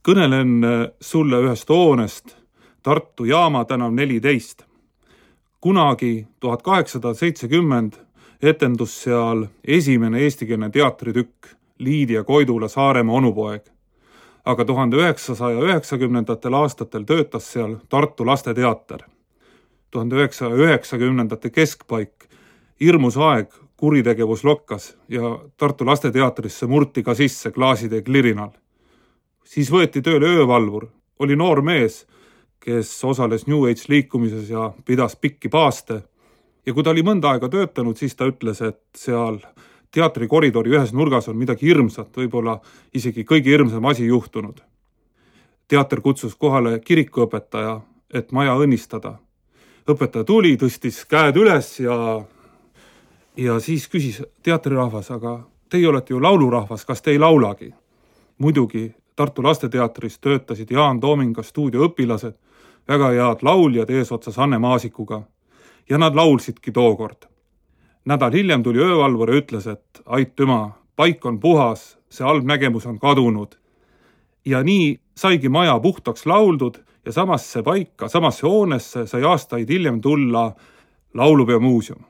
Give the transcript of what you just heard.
Kõnelen sulle ühest hoonest Tartu Jaama tänav 14. Kunagi 1870 etendus seal esimene eestikeelne teatritükk Liidia Koidula Saaremaa onupoeg. Aga 1990. aastatel töötas seal Tartu Lasteteater. 1990. keskpaik, hirmus aeg, kuritegevus lokkas ja Tartu Lasteteatrisse murti ka sisse klaaside klirinal. Siis võeti tööle öövalvur, oli noor mees, kes osales New Age liikumises ja pidas pikki paaste. Ja kui ta oli mõnda aega töötanud, siis ta ütles, et seal teatrikoridori ühes nurgas on midagi hirmsat, võib-olla isegi kõige hirmsam asi juhtunud. Teater kutsus kohale kirikuõpetaja, et maja õnnistada. Õpetaja tuli, tõstis käed üles ja siis küsis teatrirahvas, aga teie olete ju laulurahvas, kas te ei laulagi? Muidugi Tartu Lasteteatris töötasid Jaan Toominga stuudioõpilased, väga head lauljad eesotsas Anne Maasikuga ja nad laulsidki tookord. Nädal hiljem tuli öövalvur ja ütles, et aitüma, paik on puhas, see halb nägemus on kadunud. Ja nii saigi maja puhtaks lauldud ja samasse paika, samasse hoonesse sai aastaid hiljem tulla Laulupeo muuseum.